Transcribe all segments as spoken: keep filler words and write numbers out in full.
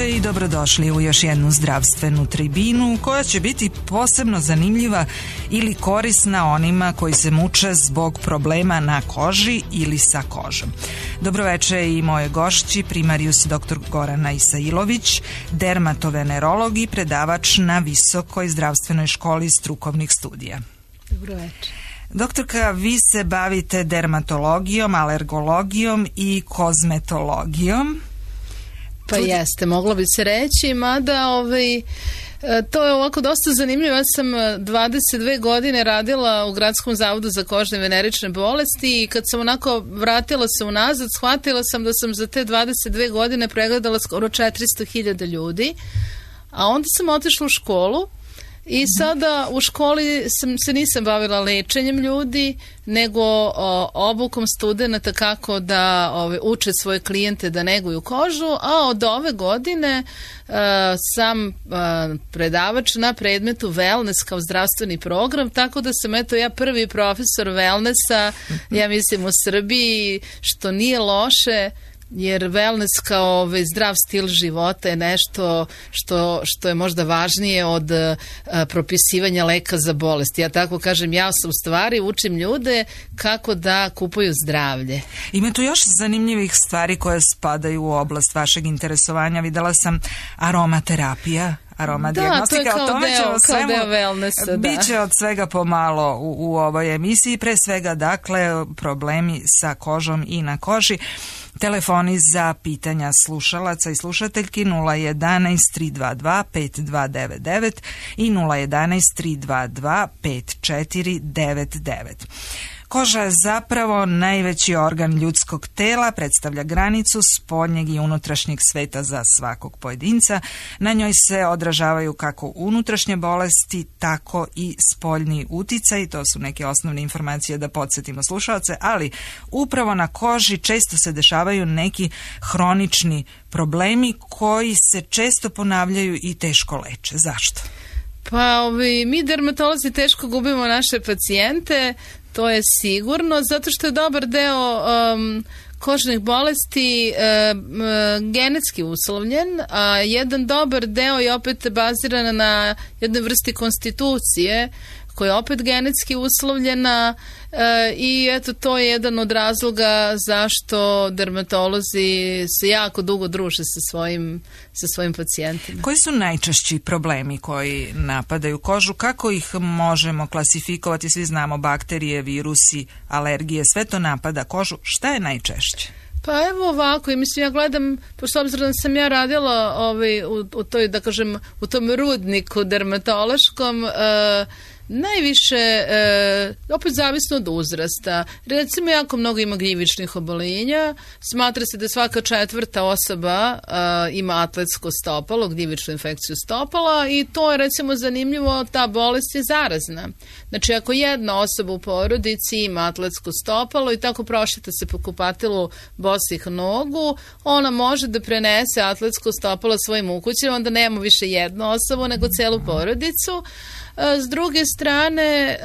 veče i dobrodošli u još jednu zdravstvenu tribinu koja će biti posebno zanimljiva ili korisna onima koji se muče zbog problema na koži ili sa kožom. Dobroveče i moje gošći, primarijus dr. Gorana Isailović, dermatovenerolog i predavač na Visokoj zdravstvenoj školi strukovnih studija. Dobroveče. Doktorka, vi se bavite dermatologijom, alergologijom i kozmetologijom. Pa Tudi... jeste, moglo bi se reći, mada ovaj, to je ovako dosta zanimljivo. Ja sam dvadeset dve godine radila u Gradskom zavodu za kožne i venerične bolesti i kad sam onako vratila se unazad, shvatila sam da sam za te dvadeset dve godine pregledala skoro četiristo hiljada ljudi, a onda sam otišla u školu. I sada u školi sam, se nisam bavila lečenjem ljudi, nego o, obukom studenata kako da ove, uče svoje klijente da neguju kožu, a od ove godine uh, sam uh, predavač na predmetu wellness kao zdravstveni program, tako da sam eto ja prvi profesor wellnessa, ja mislim u Srbiji, što nije loše, jer wellness kao ovaj zdrav stil života je nešto što, što je možda važnije od a, propisivanja leka za bolest. Ja tako kažem, ja sam u stvari učim ljude kako da kupuju zdravlje. Ima tu još zanimljivih stvari koje spadaju u oblast vašeg interesovanja. Videla sam aromaterapija. Aroma da, dijagnostika, to je kao, deo, kao deo wellnessa. Biće od svega pomalo u, u ovoj emisiji, pre svega dakle problemi sa kožom i na koži. Telefoni za pitanja slušalaca i slušateljki nula jedanaest tri dva dva pet dva devet devet i nula jedanaest tri dva dva pet četiri devet devet. Koža je zapravo najveći organ ljudskog tela, predstavlja granicu spoljnjeg i unutrašnjeg sveta za svakog pojedinca. Na njoj se odražavaju kako unutrašnje bolesti, tako i spoljni uticaj. To su neke osnovne informacije da podsjetimo slušalce, ali upravo na koži često se dešavaju neki hronični problemi koji se često ponavljaju i teško leče. Zašto? Pa ovi, mi dermatolozi teško gubimo naše pacijente. To je sigurno, zato što je dobar deo um, kožnih bolesti um, genetski uslovljen, a jedan dobar deo je opet baziran na jednoj vrsti konstitucije koja je opet genetski uslovljena e, i eto to je jedan od razloga zašto dermatolozi se jako dugo druže sa svojim, sa svojim pacijentima. Koji su najčešći problemi koji napadaju kožu? Kako ih možemo klasifikovati? Svi znamo bakterije, virusi, alergije, sve to napada kožu. Šta je najčešće? Pa evo ovako, i mislim ja gledam, pošto obzirom da sam ja radila ovaj, u, u toj, da kažem, u tom rudniku dermatološkom, e, najviše, e, opet zavisno od uzrasta. Recimo, jako mnogo ima gljivičnih oboljenja. Smatra se da svaka četvrta osoba e, ima atletsko stopalo, gljivičnu infekciju stopala i to je recimo zanimljivo, ta bolest je zarazna. Znači, ako jedna osoba u porodici ima atletsko stopalo i tako prošeta se po kupatilu bosih nogu, ona može da prenese atletsko stopalo svojim ukućima, onda nema više jednu osobu, nego celu porodicu. S druge strane,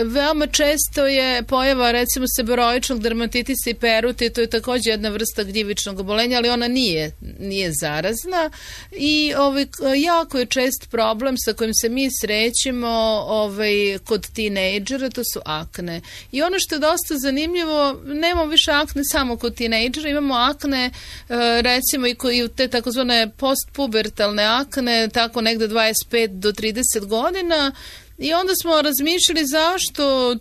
veoma često je pojava recimo seboroičnog dermatitisa i perute, to je također jedna vrsta gljivičnog obolenja, ali ona nije, nije zarazna i ovaj, jako je čest problem sa kojim se mi srećemo ovaj, kod tinejdžera, to su akne. I ono što je dosta zanimljivo, nemamo više akne samo kod tinejdžera, imamo akne recimo i, ko, i te takozvane postpubertalne akne, tako negde dvadeset pet do trideset godina. I onda smo razmišljali zašto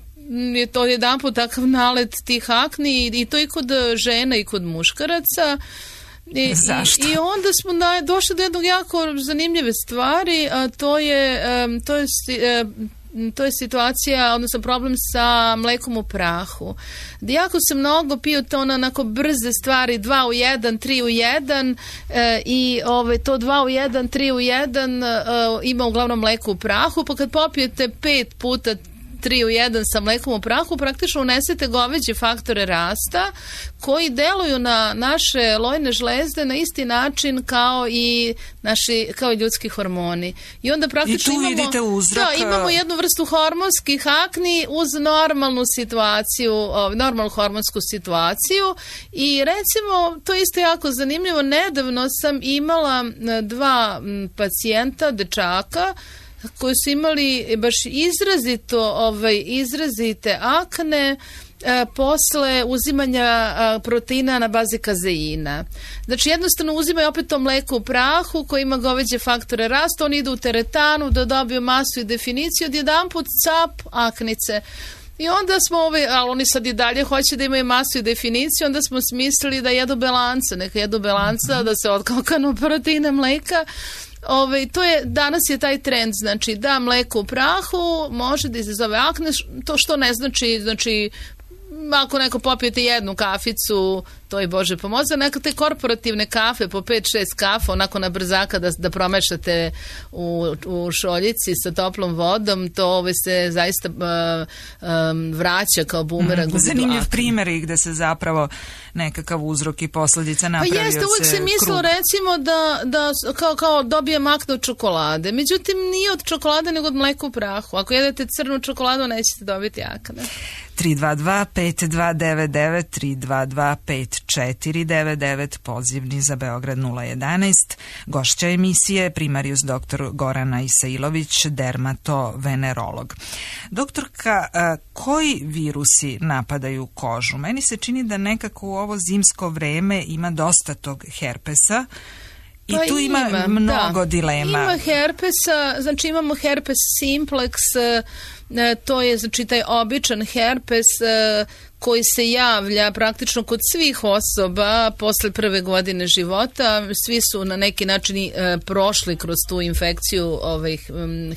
je to jedanput takav nalet tih akni i to i kod žena i kod muškaraca. I, zašto? I, i onda smo na, došli do jednog jako zanimljive stvari, a to je, um, to je um, to je situacija, odnosno problem sa mlekom u prahu. Jako se mnogo piju to na onako brze stvari, dva u jedan, tri u jedan e, i ove, to dva u jedan, tri u jedan e, ima uglavnom mleko u prahu, pa kad popijete pet puta tri u jedan sa mlekom u prahu, praktično unesete goveđe faktore rasta koji deluju na naše lojne žlezde na isti način kao i naši, kao i ljudski hormoni. I onda praktično I tu imamo, vidite uzrok. Da, imamo jednu vrstu hormonskih akni uz normalnu situaciju, normalnu hormonsku situaciju i recimo, to je isto jako zanimljivo, nedavno sam imala dva pacijenta, dečaka, koji su imali baš izrazito, ovaj, izrazite akne e, posle uzimanja a, proteina na bazi kazeina. Znači jednostavno uzimaju opet to mleko u prahu koje ima goveđe faktore rasta, oni idu u teretanu da dobiju masu i definiciju, odjedanput cap aknice. I onda smo, ovaj, ali oni sad i dalje hoće da imaju masu i definiciju, onda smo smislili da jedu belanca, neka jedu belanca, da se otkokanu proteina mleka. Ove, to je, danas je taj trend, znači da mleko u prahu može da izazove akne, to što ne znači, znači ako neko popijete jednu kaficu, to je Bože pomoza, neka te korporativne kafe po pet šest kafa, onako na brzaka da, da promešate u, u šoljici sa toplom vodom, to ove se zaista uh, um, vraća kao bumerang. Mm, zanimljiv primjer i gde se zapravo nekakav uzrok i posljedica napravio. Pa jeste, uvijek se mislilo recimo da, da kao, kao dobijem akne od čokolade, međutim nije od čokolade nego od mleka u prahu. Ako jedete crnu čokoladu nećete dobiti akne. tri dva dva pet dva devet devet tri dva dva pet četiri devet devet, pozivni za Beograd nula jedanaest. Gošća emisije primarijus doktor Gorana Isailović, dermatovenerolog. Doktorka, koji virusi napadaju kožu? Meni se čini da nekako u ovo zimsko vreme ima dosta tog herpesa. I pa tu ima, ima mnogo da. dilema. Ima herpesa, znači imamo herpes simplex, to je znači taj običan herpes koji se javlja praktično kod svih osoba posle prve godine života. Svi su na neki način e, prošli kroz tu infekciju ovaj,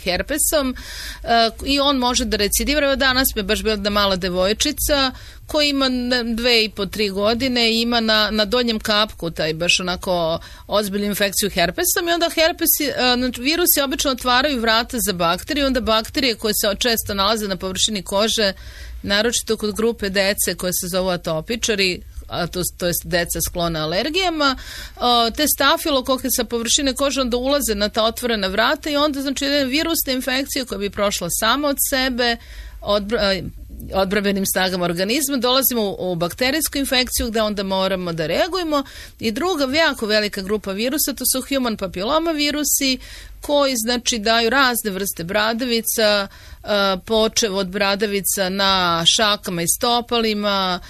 herpesom e, i on može da recidivira. Danas mi je baš bila da mala devojčica koja ima dve i po, tri godine i ima na, na donjem kapku taj baš onako ozbiljnu infekciju herpesom i onda herpesi, e, virusi obično otvaraju vrata za bakterije, onda bakterije koje se često nalaze na površini kože, naročito kod grupe dece koje se zovu atopičari, a to, to je deca sklona alergijama, te stafilokoke sa površine kože onda ulaze na ta otvorena vrata i onda znači virusna infekcija koja bi prošla sama od sebe, odbra, odbrambenim snagama organizma, dolazimo u, u bakterijsku infekciju gde onda moramo da reagujemo. I druga jako velika grupa virusa, to su human papiloma virusi koji znači daju razne vrste bradavica, počev od bradavica na šakama i stopalima,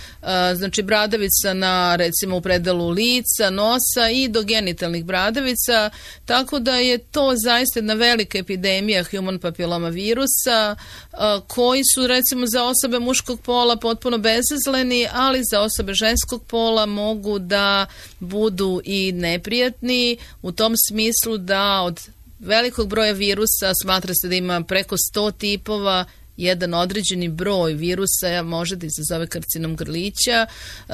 znači bradavica na recimo u predalu lica, nosa i do genitalnih bradavica, tako da je to zaista jedna velika epidemija human papiloma virusa koji su recimo za osobe muškog pola potpuno bezazleni, ali za osobe ženskog pola mogu da budu i neprijatni u tom smislu da od velikog broja virusa smatra se da ima preko sto tipova, jedan određeni broj virusa može da izazove karcinom grlića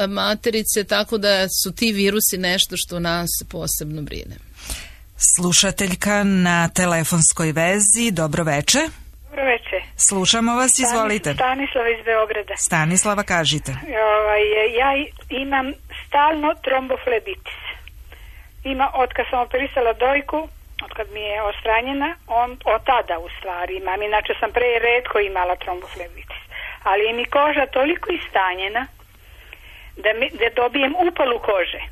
materice, tako da su ti virusi nešto što nas posebno brine. Slušateljka na telefonskoj vezi, dobro veče. Dobro veče. Slušamo vas, izvolite. Stanislava iz Beograda. Stanislava, kažite. Ovaj, ja imam stalno tromboflebitis. Ima, od kad sam operisala dojku, od kad mi je ostranjena, on, od tada u stvari imam. Inače sam pre retko imala tromboflebitis. Ali je mi koža toliko istanjena da, mi, da dobijem upalu kože,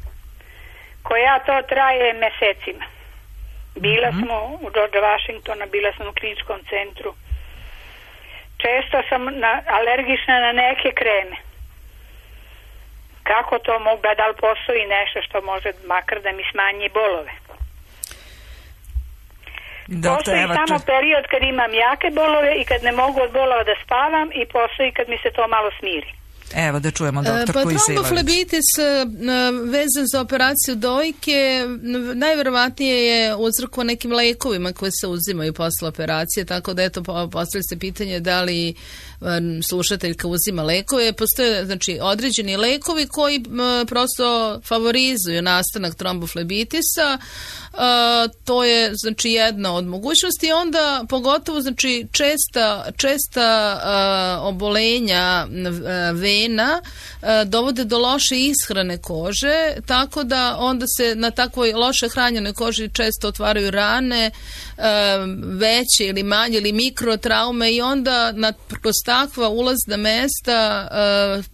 koja to traje mesecima. Bila mm-hmm. smo u George Washingtona, bila sam u kliničkom centru. Često sam na, alergična na neke kreme. Kako to mogu, da li postoji nešto što može makar da mi smanji bolove? Doktor, postoji evo, samo period kad imam jake bolove i kad ne mogu od bolova da spavam i postoji kad mi se to malo smiri. Evo da čujemo doktor pa, koji se tromboflebitis vezan za operaciju dojke najverovatnije je uzrokovan nekim lekovima koje se uzimaju posle operacije, tako da eto postavlja se pitanje da li slušateljka uzima lekove, postoje znači određeni lekovi koji m, prosto favorizuju nastanak tromboflebitisa. Uh, to je znači jedna od mogućnosti i onda pogotovo znači česta, česta uh, obolenja uh, vena uh, dovode do loše ishrane kože, tako da onda se na takvoj loše hranjenoj koži često otvaraju rane, uh, veće ili manje ili mikrotraume i onda na, kroz takva ulazna mesta uh,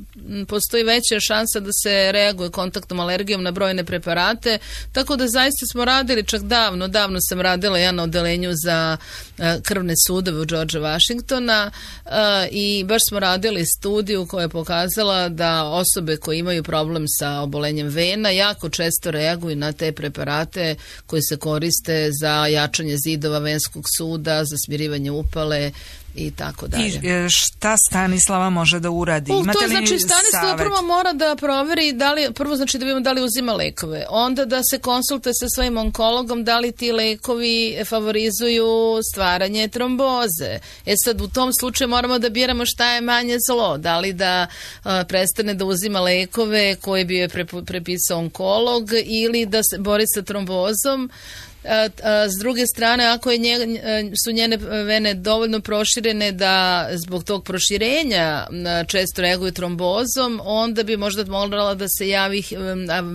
postoji veća šansa da se reaguje kontaktnom alergijom na brojne preparate, tako da zaista smo radili čak davno, davno sam radila ja na odelenju za uh, krvne sudove u George Washingtona uh, i baš smo radili studiju koja je pokazala da osobe koje imaju problem sa obolenjem vena jako često reaguju na te preparate koji se koriste za jačanje zidova venskog suda, za smirivanje upale i tako dalje. I šta Stanislava može da uradi? U, Imate to li znači Stanislava savet? prvo mora da proveri da li, prvo znači da vidimo da li uzima lekove, onda da se konsultuje sa svojim onkologom da li ti lekovi favorizuju stvaranje tromboze. E sad u tom slučaju moramo da biramo šta je manje zlo, da li da a, prestane da uzima lekove koje bi joj prepisao onkolog ili da se bori sa trombozom. A, a, s druge strane, ako je nje, su njene vene dovoljno proširene da zbog tog proširenja često reaguju trombozom, onda bi možda morala da se javi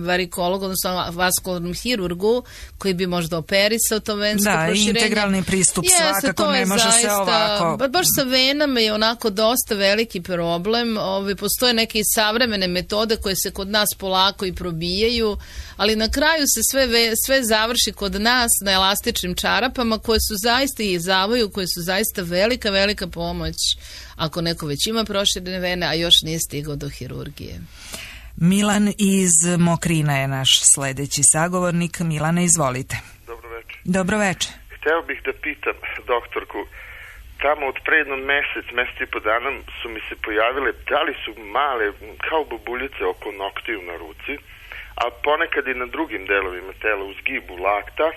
varikologu, odnosno vaskularnom hirurgu koji bi možda operisao to vensko da, proširenje. Da, integralni pristup Jeste, svakako ne može zaista, se ovako. Baš sa venama je onako dosta veliki problem. Ovi, postoje neke savremene metode koje se kod nas polako i probijaju, ali na kraju se sve, sve završi kod nas na elastičnim čarapama koje su zaista i zavaju, koje su zaista velika, velika pomoć ako neko već ima proširene vene, a još nije stigao do hirurgije. Milan iz Mokrina je naš sledeći sagovornik. Milane, izvolite. Dobro večer. Dobro večer. Hteo bih da pitam doktorku, tamo od pre jedno mesec, mesec i po dana su mi se pojavile, da li su male, kao bubuljice oko noktiju na ruci, a ponekad i na drugim delovima tela, u zgibu lakta,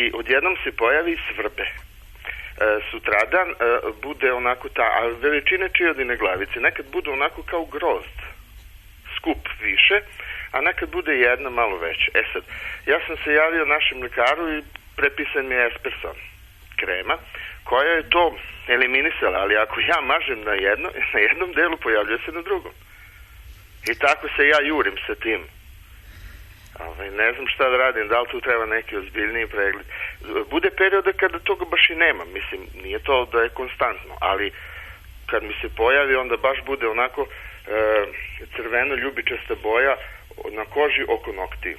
i odjednom se pojavi svrbe. E, sutradan e, bude onako ta, a veličine čiodine glavice, nekad bude onako kao grozd, skup više, a nekad bude jedna malo veća. E sad, ja sam se javio našem lekaru i prepisan mi je Esperson krema, koja je to eliminisala, ali ako ja mažem na, jedno, na jednom delu, pojavljuje se na drugom. I tako se ja jurim sa tim. Ovaj, ne znam šta da radim, da li tu treba neki ozbiljniji pregled. Bude perioda kada toga baš i nema, mislim, nije to da je konstantno, ali kad mi se pojavi, onda baš bude onako e, crveno ljubičasta boja na koži oko noktiju.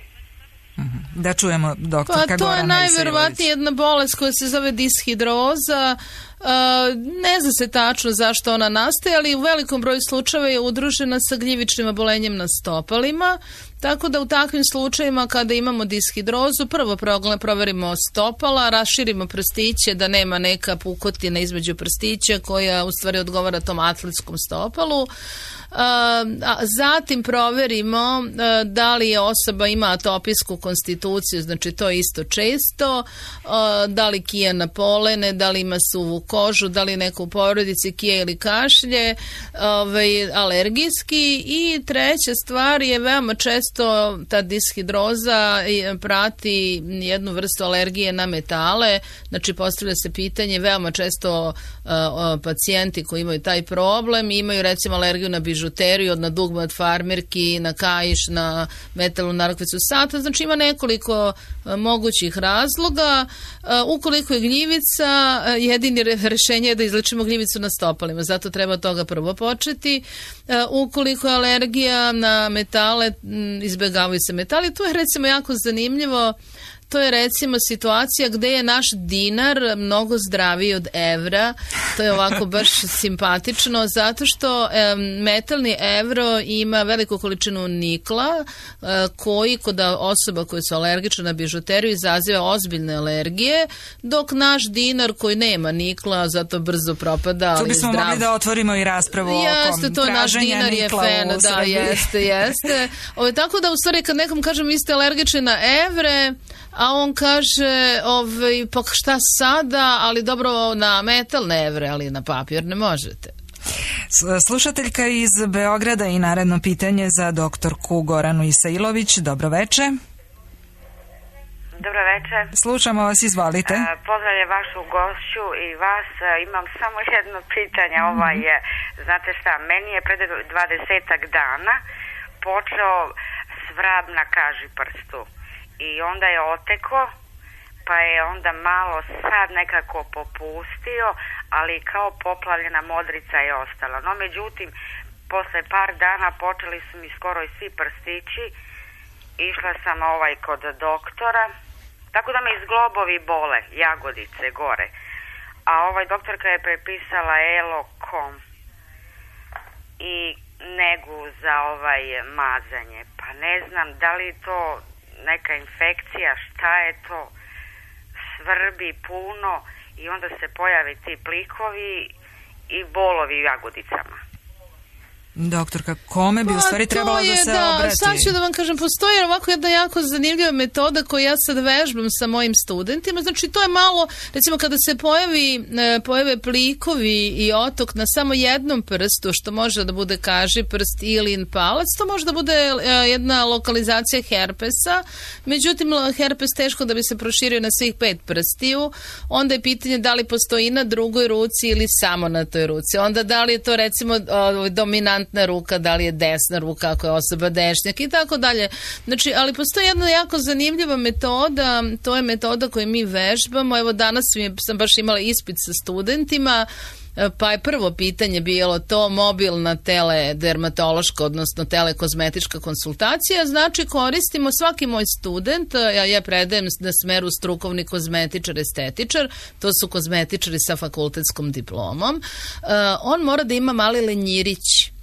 Da čujemo doktorka pa, to Gorana je najverovatnije jedna bolest koja se zove dishidroza. Uh, ne zna se tačno zašto ona nastaje, ali u velikom broju slučajeva je udružena sa gljivičnim obolenjem na stopalima, tako da u takvim slučajevima kada imamo dishidrozu, prvo proverimo stopala, raširimo prstiće da nema neka pukotina između prstića koja u stvari odgovara tom atletskom stopalu. Uh, a zatim proverimo uh, da li je osoba ima atopijsku konstituciju, znači to je isto često, uh, da li kija na polene, da li ima suvu kožu, da li neko u porodici kije ili kašlje, ovaj, alergijski. I treća stvar je veoma često ta dishidroza prati jednu vrstu alergije na metale, znači postavlja se pitanje, veoma često uh, pacijenti koji imaju taj problem imaju recimo alergiju na bižuteriju, na dugme od farmerki, na kaiš, na metalnu narukvicu sata, znači ima nekoliko uh, mogućih razloga. Uh, ukoliko je gljivica, uh, jedini rešenje je da izlečimo gljivicu na stopalima, zato treba od toga prvo početi. Uh, ukoliko je alergija na metale, m, izbjegavaju se metali. To je recimo jako zanimljivo. To je recimo situacija gde je naš dinar mnogo zdraviji od evra. To je ovako baš simpatično zato što e, metalni evro ima veliku količinu nikla e, koji kod osoba koje su alergične na bižuteriju izaziva ozbiljne alergije, dok naš dinar koji nema nikla zato brzo propada. Tu bismo zdrav... mogli da otvorimo i raspravu jeste, oko to traženja naš dinar nikla je fena, da, jeste, jeste. Ove, tako da u stvari kad nekom kažem vi ste alergični na evre, a on kaže, ovaj, pa šta sada, ali dobro na metal ne evre, ali na papir ne možete. Slušateljka iz Beograda i naredno pitanje za doktorku Goranu Isailović. Dobro veče. Dobro večer. Slušamo vas, izvolite. Uh, pozdravljam vašu gošću i vas. Uh, imam samo jedno pitanje. Mm-hmm. Ovaj je, znate šta, meni je pred dvadesetak dana počeo svrab na kaži prstu. I onda je oteko, pa je onda malo sad nekako popustio, ali kao poplavljena modrica je ostala. No, međutim, posle par dana počeli su mi skoro i svi prstići. Išla sam ovaj kod doktora, tako da me izglobovi bole, jagodice gore. A ovaj doktorka je prepisala Elokom i negu za ovaj mazanje. Pa ne znam da li je to neka infekcija, šta je to, svrbi puno i onda se pojave ti plikovi i bolovi u jagodicama. Doktorka, kome bi pa, u stvari trebalo da se da, obrati? Sad ću da vam kažem, postoji ovako jedna jako zanimljiva metoda koju ja sad vežbam sa mojim studentima. Znači, to je malo, recimo, kada se pojavi, pojave plikovi i otok na samo jednom prstu, što može da bude kaži prst ili palac, to može da bude jedna lokalizacija herpesa. Međutim, herpes teško da bi se proširio na svih pet prstiju. Onda je pitanje da li postoji na drugoj ruci ili samo na toj ruci. Onda da li je to, recimo, dominant ruka, da li je desna ruka ako je osoba dešnjak i tako dalje. Znači, ali postoji jedna jako zanimljiva metoda, to je metoda koju mi vežbamo. Evo danas sam baš imala ispit sa studentima, pa je prvo pitanje bilo to mobilna teledermatološka, odnosno telekozmetička konsultacija. Znači, koristimo svaki moj student, ja, ja predajem na smeru strukovni kozmetičar, estetičar, to su kozmetičari sa fakultetskom diplomom. Uh, on mora da ima mali lenjirić.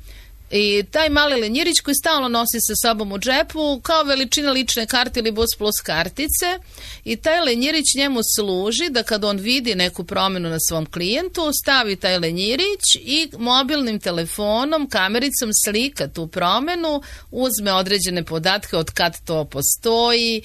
I taj mali lenjirić koji stalno nosi sa sobom u džepu kao veličina lične karte ili bus plus kartice i taj lenjirić njemu služi da kad on vidi neku promjenu na svom klijentu stavi taj lenjirić i mobilnim telefonom, kamericom slika tu promjenu, uzme određene podatke od kad to postoji,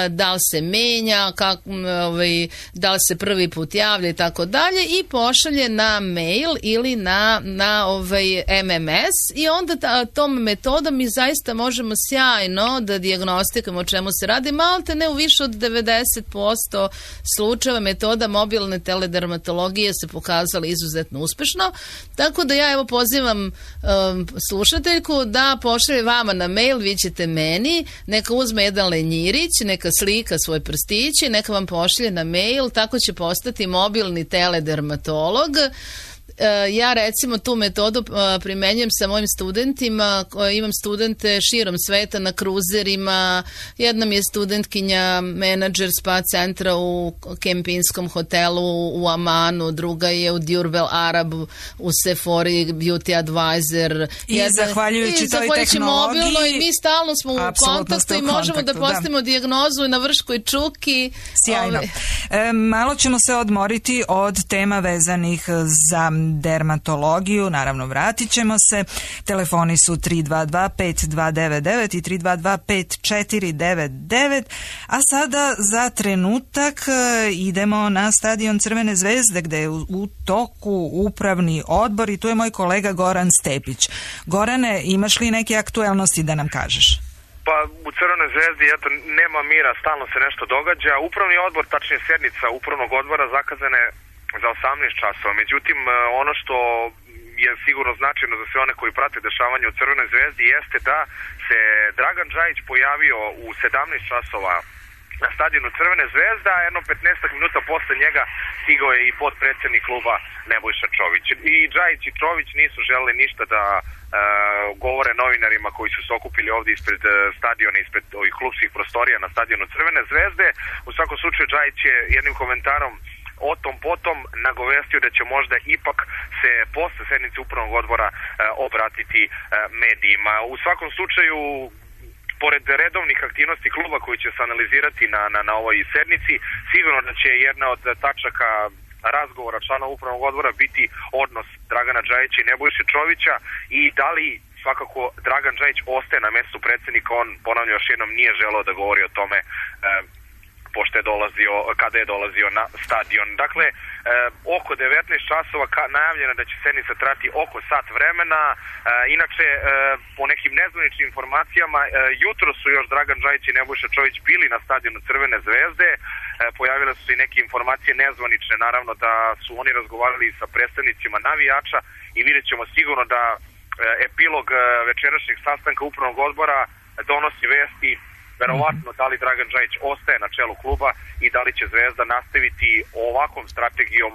da li se menja, kak, ovaj, da li se prvi put javlja i tako dalje i pošalje na mail ili na, na ovaj M M S i onda ta, tom metodom mi zaista možemo sjajno da dijagnostikamo o čemu se radi. Malte ne u više od devedeset posto slučajeva metoda mobilne teledermatologije se pokazala izuzetno uspešno. Tako da ja evo pozivam um, slušateljku da pošalje vama na mail, vi ćete meni, neka uzme jedan lenjirić, neka slika svoj prstić i neka vam pošalje na mail, tako će postati mobilni teledermatolog. Ja recimo tu metodu primenjujem sa mojim studentima, imam studente širom sveta na kruzerima, jedna mi je studentkinja menadžer spa centra u Kempinskom hotelu u Amanu, druga je u Durbel Arab u Sephori Beauty Advisor. I jedna, zahvaljujući i toj tehnologiji mobilno, i mi stalno smo u kontaktu i možemo kontaktu, da postavimo da. dijagnozu na vrškoj čuki. Sjajno. E, malo ćemo se odmoriti od tema vezanih za dermatologiju, naravno vratit ćemo se. Telefoni su tri dva dva pet dva devet devet i tri dva dva pet četiri devet devet, a sada za trenutak idemo na stadion Crvene zvezde gde je u toku upravni odbor i tu je moj kolega Goran Stepić. Gorane, imaš li neke aktuelnosti da nam kažeš? Pa u Crvenoj zvezdi eto, nema mira, stalno se nešto događa. Upravni odbor, tačnije sednica upravnog odbora zakazane za osamnaest časova. Međutim, ono što je sigurno značajno za sve one koji prate dešavanje u Crvenoj zvezdi jeste da se Dragan Džajić pojavio u sedamnaest časova na stadionu Crvene zvezde, a jedno petnaest minuta posle njega stigao je i potpredsednik kluba Nebojša Čović. I Džajić i Čović nisu želeli ništa da uh, govore novinarima koji su se okupili ovdje ispred uh, stadiona, ispred ovih klubskih prostorija na stadionu Crvene zvezde. U svakom slučaju Džajić je jednim komentarom o tom potom nagovestio da će možda ipak se posle sednice upravnog odbora uh, obratiti uh, medijima. U svakom slučaju, pored redovnih aktivnosti kluba koji će se analizirati na, na, na ovoj sednici, sigurno da će jedna od tačaka razgovora člana upravnog odbora biti odnos Dragana Džajića i Nebojše Čovića i da li svakako Dragan Džajić ostaje na mestu predsjednika. On, ponavljam još jednom, nije želeo da govori o tome e, pošto je dolazio, kada je dolazio na stadion. Dakle, e, oko devetnaest časova ka, najavljeno da će sednica trati oko sat vremena. E, inače, e, po nekim nezvaničnim informacijama, e, jutro su još Dragan Džajić i Nebojša Čović bili na stadionu Crvene zvezde. E, pojavile su se i neke informacije nezvanične, naravno da su oni razgovarali sa predstavnicima navijača i vidjet ćemo sigurno da e, epilog e, večerašnjeg sastanka upravnog odbora donosi vesti verovatno da li Dragan Džajić ostaje na čelu kluba i da li će Zvezda nastaviti ovakvom strategijom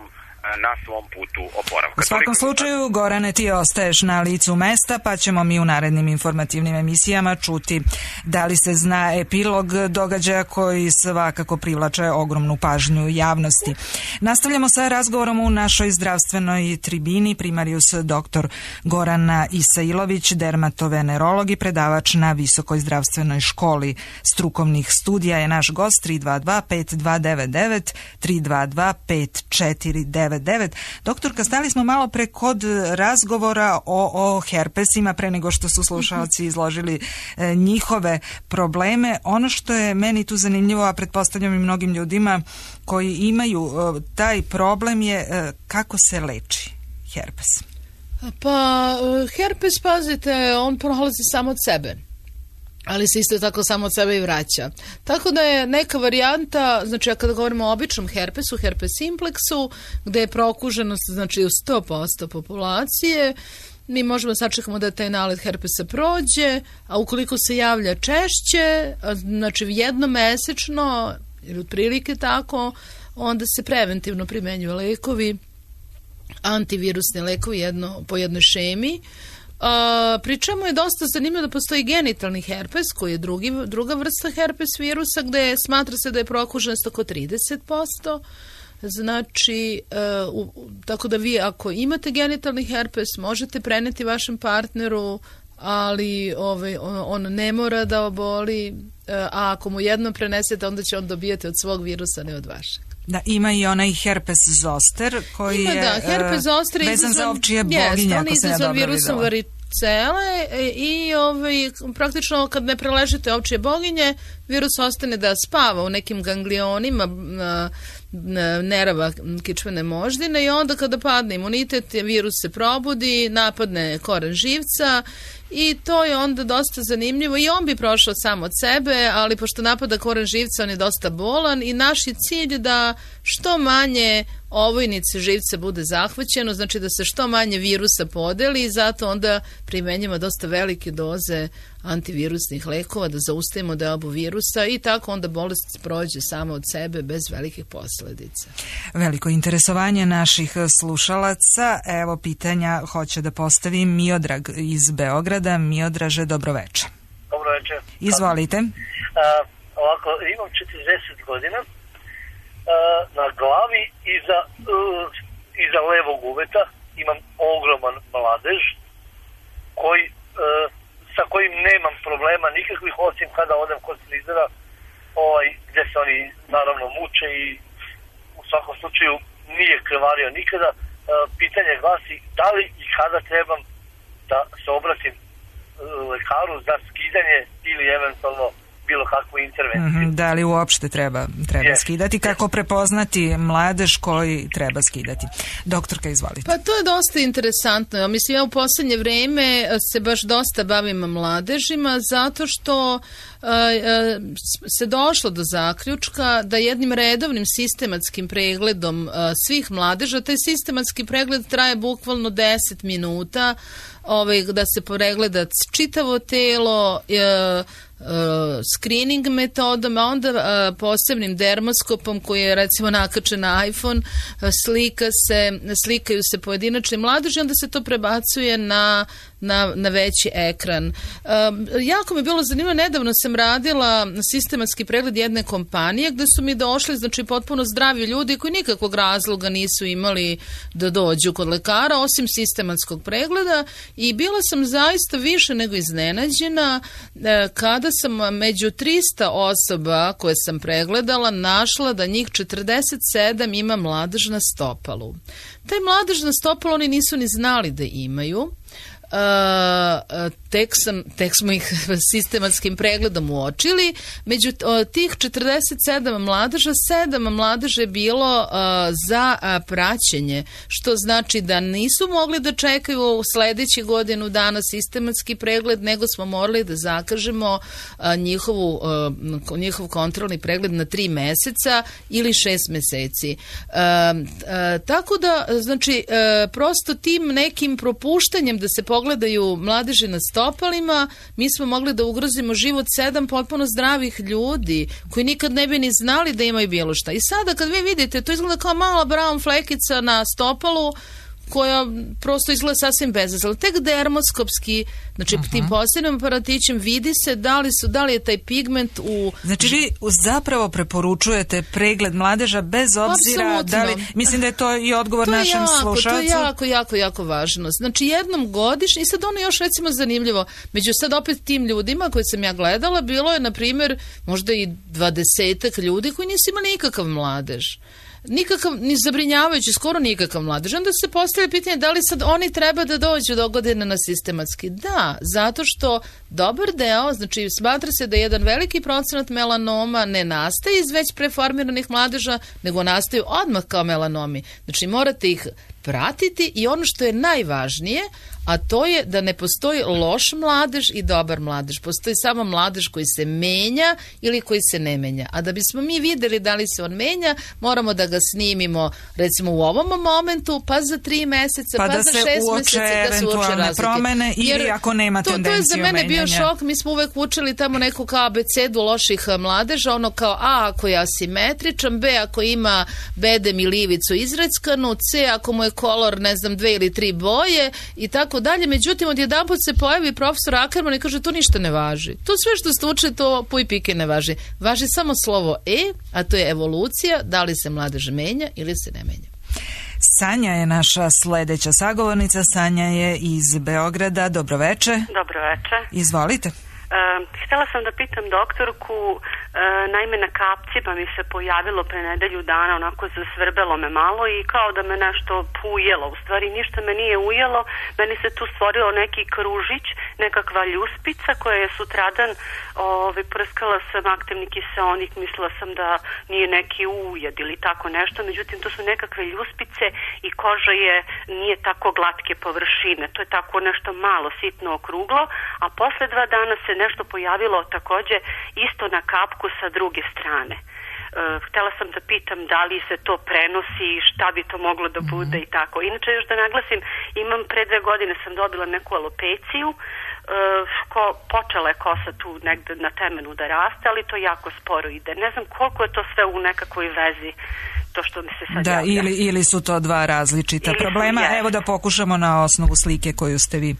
na svom putu oporavka. U svakom slučaju, Gorane, ti ostaješ na licu mesta, pa ćemo mi u narednim informativnim emisijama čuti da li se zna epilog događaja koji svakako privlače ogromnu pažnju javnosti. Nastavljamo sa razgovorom u našoj zdravstvenoj tribini. Primarius doktor Gorana Isailović, dermatovenerolog i predavač na Visokoj zdravstvenoj školi strukovnih studija je naš gost. Tri dva dva pet dva devet devet, tri dva dva pet četiri devet devet. Doktorka, stali smo malo pre kod razgovora o, o herpesima pre nego što su slušalci izložili e, njihove probleme. Ono što je meni tu zanimljivo, a pretpostavljam i mnogim ljudima koji imaju e, taj problem je e, kako se leči herpes. Pa herpes, pazite, on prolazi samo od sebe, ali se isto tako samo od sebe i vraća. Tako da je neka varijanta, znači kada govorimo o običnom herpesu, herpes simplexu, gde je prokuženost znači u sto posto populacije, mi možemo sačekamo da taj nalet herpesa prođe, a ukoliko se javlja češće, znači jednomesečno, ili otprilike tako, onda se preventivno primenjuju lekovi, antivirusni lekovi jedno, po jednoj šemi. Uh, pri čemu je dosta zanimljivo da postoji genitalni herpes koji je drugi, druga vrsta herpes virusa gde smatra se da je prokuženost oko trideset posto. Znači, uh, u, tako da vi ako imate genitalni herpes možete preneti vašem partneru, ali ovaj, on, on ne mora da oboli, uh, a ako mu jednom prenesete onda će on dobijati od svog virusa, ne od vašeg. Da, ima i onaj herpes zoster koji ima, je da, herpes zoster vezan izazvan, za ovčije boginje, ako se ja dobro videla. Virusom varicele i ovaj, praktično kad ne preležite ovčije boginje, virus ostane da spava u nekim ganglionima na, na nerava kičmene moždine i onda kada padne imunitet, virus se probudi, napadne koren živca i to je onda dosta zanimljivo i on bi prošao sam od sebe, ali pošto napada koren živca on je dosta bolan i naš je cilj da što manje ovojnice živca bude zahvaćeno, znači da se što manje virusa podeli i zato onda primenjamo dosta velike doze antivirusnih lekova da zaustavimo deobu virusa i tako onda bolest prođe samo od sebe bez velikih posledica. Veliko interesovanje naših slušalaca. Evo pitanja hoće da postavi Miodrag iz Beograda. Miodraže, dobroveče. Dobroveče. Izvolite. A, ovako, imam četrdeset godina. A, na glavi iza, uh, iza levog uveta imam ogroman mladež koji uh, sa kojim nemam problema nikakvih, osim kada odem kod frizera, ovaj, gde se oni naravno muče i u svakom slučaju nije krvario nikada. E, pitanje glasi da li i kada trebam da se obratim e, lekaru za skidanje ili eventualno bilo kakvu intervenciju. Mm-hmm, da li uopšte treba, treba yes. skidati? Kako yes. prepoznati mladež koji treba skidati? Doktorka, izvolite. Pa to je dosta interesantno. Mislim, ja u poslednje vreme se baš dosta bavim mladežima zato što uh, se došlo do zaključka da jednim redovnim sistematskim pregledom uh, svih mladeža, taj sistematski pregled traje bukvalno deset minuta, ovaj, da se pregleda čitavo telo, uh, Uh, screening metodom, a onda uh, posebnim dermoskopom koji je recimo nakačen na iPhone, uh, slika se, slikaju se pojedinačni mladeži, onda se to prebacuje na, na, na veći ekran. Uh, jako mi je bilo zanimljivo, nedavno sam radila sistematski pregled jedne kompanije gde su mi došli, znači potpuno zdravi ljudi koji nikakvog razloga nisu imali da dođu kod lekara, osim sistematskog pregleda i bila sam zaista više nego iznenađena uh, kada sam među trista osoba koje sam pregledala našla da njih četrdeset sedam ima mladež na stopalu. Taj mladež na stopalu oni nisu ni znali da imaju. Uh, tek, sam, tek smo ih sistematskim pregledom uočili. Među tih četrdeset sedam mladeža, sedam mladeža je bilo uh, za uh, praćenje, što znači da nisu mogli da čekaju u sledećih godinu dana sistematski pregled, nego smo morali da zakažemo uh, njihovu, uh, njihov kontrolni pregled na tri meseca ili šest meseci. Uh, uh, tako da, znači, uh, prosto tim nekim propuštanjem da se pogledaju mladeži na stopalima, mi smo mogli da ugrozimo život sedam potpuno zdravih ljudi koji nikad ne bi ni znali da imaju bilo šta. I sada kad vi vidite, to izgleda kao mala brown flekica na stopalu koja prosto izgleda sasvim bezazlena. Tek dermoskopski, znači uh-huh. tim posebnim aparatićem vidi se da li, su, da li je taj pigment u... Znači vi zapravo preporučujete pregled mladeža bez obzira Apsolutno. Da li... Mislim da je to i odgovor to našem jako, slušalcu. To je jako, jako, jako važno. Znači jednom godišnje, i sad ono još recimo zanimljivo, među sad opet tim ljudima koje sam ja gledala, bilo je na primjer možda i dvadesetak ljudi koji nisu imali nikakav mladež. Nikakav, ni zabrinjavajući, skoro nikakav mladež. Onda se postavlja pitanje da li sad oni treba da dođu do godine na sistematski. Da, zato što dobar deo, znači smatra se da jedan veliki procenat melanoma ne nastaje iz već preformiranih mladeža, nego nastaju odmah kao melanomi. Znači morate ih pratiti i ono što je najvažnije, a to je da ne postoji loš mladež i dobar mladež. Postoji samo mladež koji se menja ili koji se ne menja. A da bismo mi videli da li se on menja, moramo da ga snimimo recimo u ovom momentu, pa za tri meseca, pa, pa da za šest meseci, da se uoče razlike. Promene ili jer ako nema to, tendenciju menjanja. To je za mene menjanja. bio šok. Mi smo uvek učili tamo neku kao abecedu loših mladeža, ono kao A ako je asimetričan, B ako ima bedem ili ivicu izreckanu, C ako mu je kolor, ne znam, dve ili tri boje i tako dalje. Međutim, odjedanput se pojavi profesor Ackerman i kaže to ništa ne važi. To sve što ste učili, to puj pike ne važi. Važi samo slovo E, a to je evolucija, da li se mladež menja ili se ne menja. Sanja je naša sledeća sagovornica. Sanja je iz Beograda. Dobroveče. Dobroveče. Izvolite. Uh, htjela sam da pitam doktorku, uh, naime na kapcima mi se pojavilo pre nedelju dana, onako zasvrbelo me malo i kao da me nešto ujelo, u stvari ništa me nije ujelo, meni se tu stvorilo neki kružić, nekakva ljuspica koja je sutradan ovaj, prskala sam aktivni kiseonik, mislila sam da nije neki ujed ili tako nešto, međutim to su nekakve ljuspice i koža je, nije tako glatke površine, to je tako nešto malo sitno okruglo, a posle dva dana se nešto pojavilo takođe isto na kapku sa druge strane. E, htela sam da pitam da li se to prenosi i šta bi to moglo da bude i tako. Inače još da naglasim, imam pre dve godine sam dobila neku alopeciju, e, ko, počela je kosa tu negde na temenu da raste, ali to jako sporo ide. Ne znam koliko je to sve u nekakvoj vezi to što mi se sad da, javlja. ili, ili su to dva različita ili problema. Su, Evo da pokušamo na osnovu slike koju ste vi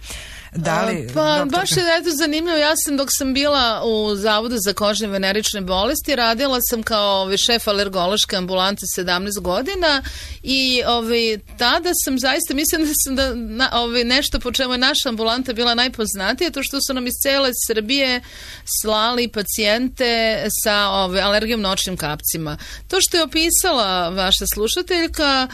dali. Pa doktorka. baš je eto zanimljivo, ja sam dok sam bila u Zavodu za kožne i venerične bolesti, radila sam kao šef alergološke ambulante sedamnaest godina i ovaj, tada sam zaista, mislim da sam da, na, ovaj, nešto po čemu je naša ambulanta bila najpoznatija, to što su nam iz cele Srbije slali pacijente sa ovaj, alergijom na očnim kapcima. To što je opisala vaša slušateljka,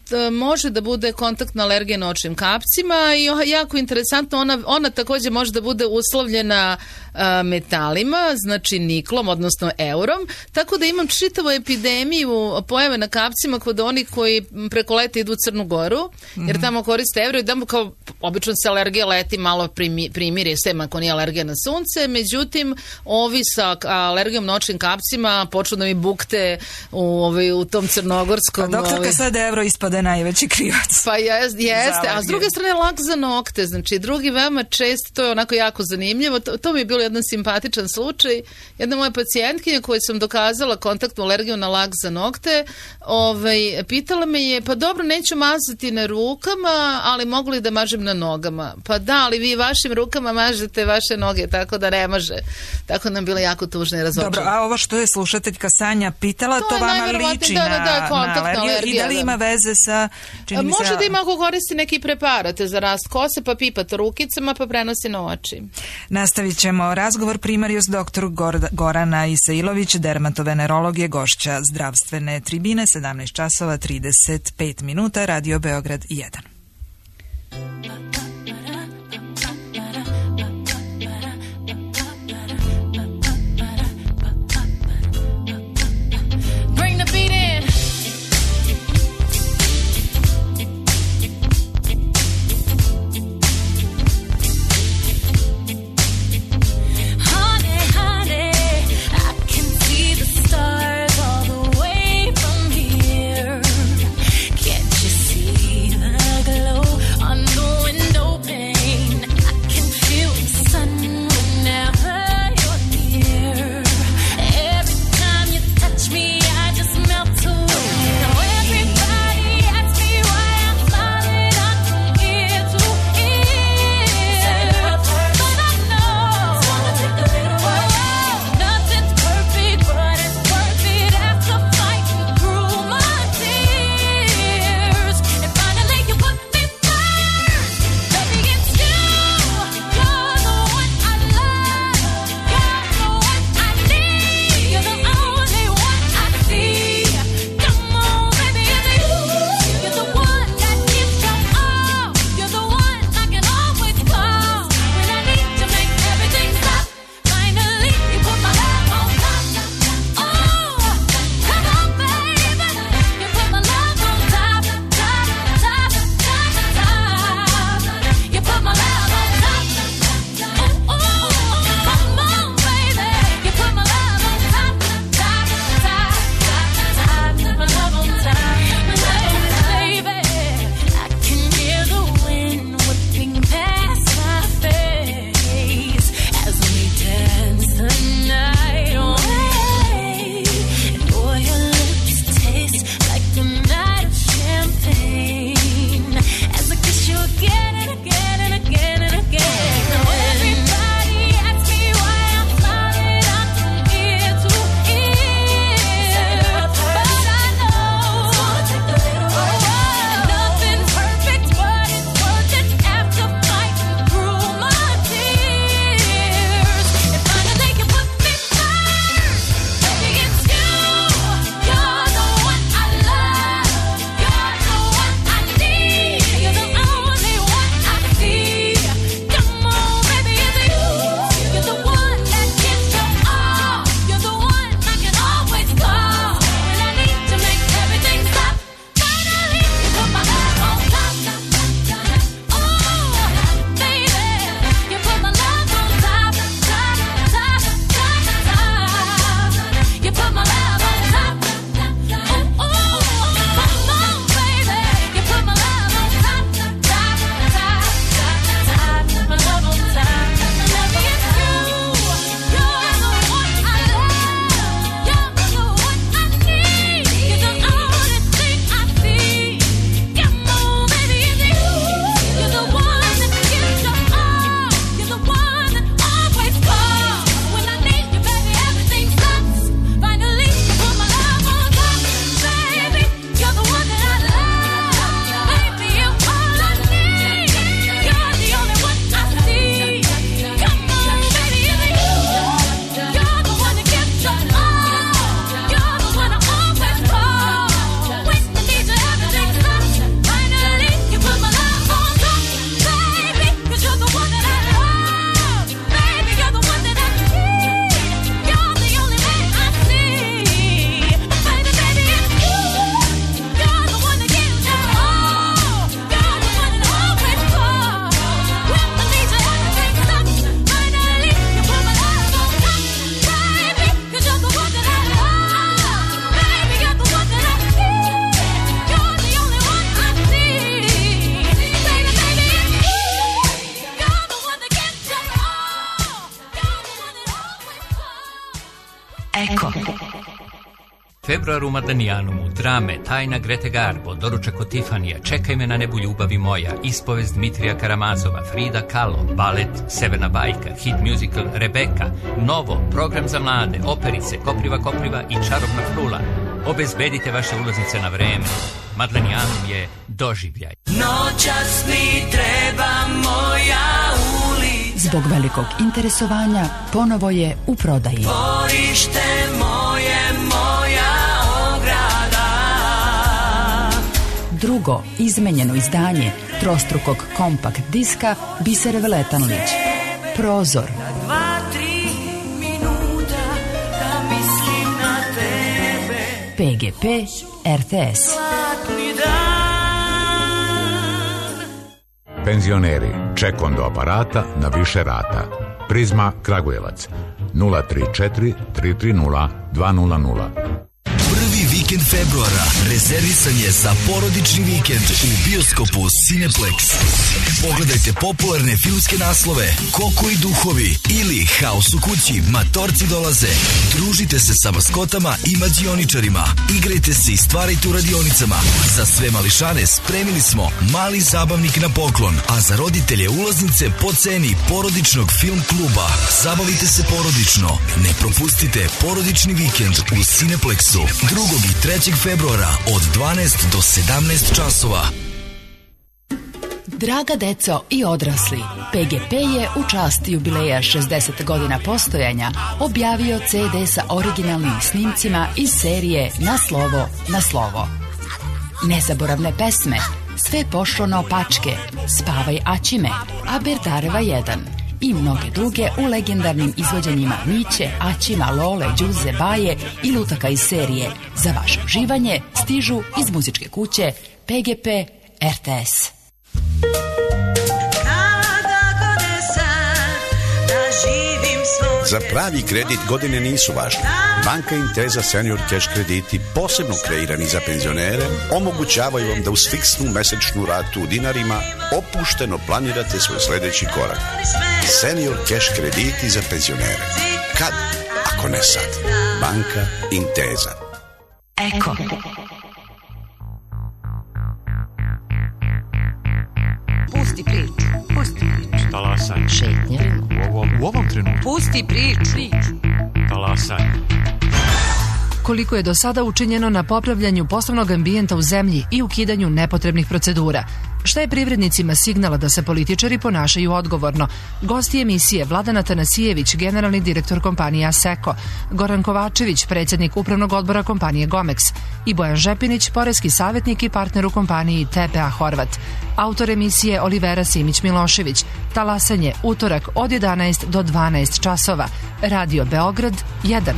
T, može da bude kontaktna alergija na očnim kapcima i jako interesantno, ona, ona takođe može da bude uslovljena a, metalima, znači niklom, odnosno eurom, tako da imam čitavu epidemiju pojave na kapcima kod onih koji preko leta idu u Crnu Goru, jer tamo koriste euro i tamo kao obično se alergija leti malo primi, primiri, sem ako nije alergija na sunce, međutim ovi sa alergijom na očnim kapcima počnu da mi bukte u, ovaj, u tom crnogorskom... Pa doktorka ovaj, sad evro ispade najveći krivac. Pa jest, jeste, a s druge strane lak za nokte, znači drugi veoma često, to je onako jako zanimljivo, to, to mi je bilo jedan simpatičan slučaj, jedna moja pacijentkinja koju sam dokazala kontaktnu alergiju na lak za nokte, ovaj, pitala me je, pa dobro, neću mazati na rukama, ali mogu li da mažem na nogama? Pa da, ali vi vašim rukama mažete vaše noge, tako da ne može. Tako nam bilo jako tužno i razočarano. Dobro, a ovo što je slušateljka Sanja pitala, to, to vama liči da, da, da, na, na alergiju alergija, i da li ima veze sa... Čini može se, da ima ako koristi neki preparate za rast kose, pa pipate rukicama, pa prenosi na oči. Nastavit ćemo razgovor. Primarijus doktor Gorana Isailović, dermatovenerolog, je gošća zdravstvene tribine, sedamnaest časova trideset pet minuta, Radio Beograd jedan. Februar u Madanijanumu, drame, Tajna Grete Garbo, Doručak od Tifanija, Čekaj me na nebu ljubavi moja, Ispovest Dmitrija Karamazova, Frida Kahlo, balet Severna bajka, hit musical Rebeka, Novo, program za mlade, operice, Kopriva Kopriva i Čarobna frula. Obezbedite vaše ulaznice na vreme. Madanijanum je doživljaj. Noćas mi treba moja ulica. Zbog velikog interesovanja ponovo je u prodaji. Dvorište moje, moja ograda. Drugo izmenjeno izdanje trostrukog kompakt diska Bisere Veletanlić. Prozor. Dva, tri minuta da mislim na tebe. P G P R T S. Penzioneri, ček do aparata na više rata. Prizma Kragujevac nula tri četiri tri tri nula dva nula nula. Prvi vikend februara rezervisan je za porodični vikend u bioskopu Cineplex. Pogledajte popularne filmske naslove Koko i duhovi ili Haos u kući, Matorci dolaze. Družite se sa maskotama i mađioničarima. Igrajte se i stvarajte u radionicama. Za sve mališane spremili smo mali zabavnik na poklon, a za roditelje ulaznice po ceni porodičnog film kluba. Zabavite se porodično. Ne propustite porodični vikend u Cineplexu drugog i trećeg februara od dvanaest do sedamnaest časova. Draga deco i odrasli, P G P je u čast jubileja šezdeset godina postojanja objavio C D sa originalnim snimcima iz serije Na slovo, na slovo. Nezaboravne pesme, Sve pošlo naopačke, Spavaj Aćime, A Berdareva jedan i mnoge druge u legendarnim izvođenjima Miće, Aćima, Lole, Đuze, Baje i lutaka iz serije. Za vaše uživanje stižu iz muzičke kuće P G P R T S. Za pravi kredit godine nisu važne. Banka Intesa Senior Cash krediti, posebno kreirani za penzionere, omogućavaju vam da uz fiksnu mesečnu ratu u dinarima opušteno planirate svoj sledeći korak. Senior Cash krediti za penzionere. Kad, ako ne sad? Banka Intesa. Eko. Pusti priču, pusti priču. Talasanje. Šetnje. U ovom, u ovom trenutku. Pusti priču. Talasanje. Koliko je do sada učinjeno na popravljanju poslovnog ambijenta u zemlji i ukidanju nepotrebnih procedura? Šta je privrednicima signala da se političari ponašaju odgovorno? Gosti emisije Vladan Tanasijević, generalni direktor kompanije Aseko, Goran Kovačević, predsjednik upravnog odbora kompanije Gomex i Bojan Žepinić, poreski savjetnik i partner u kompaniji T P A Horvat. Autor emisije Olivera Simić-Milošević. Talasanje, utorak od jedanaest do dvanaest časova. Radio Beograd jedan.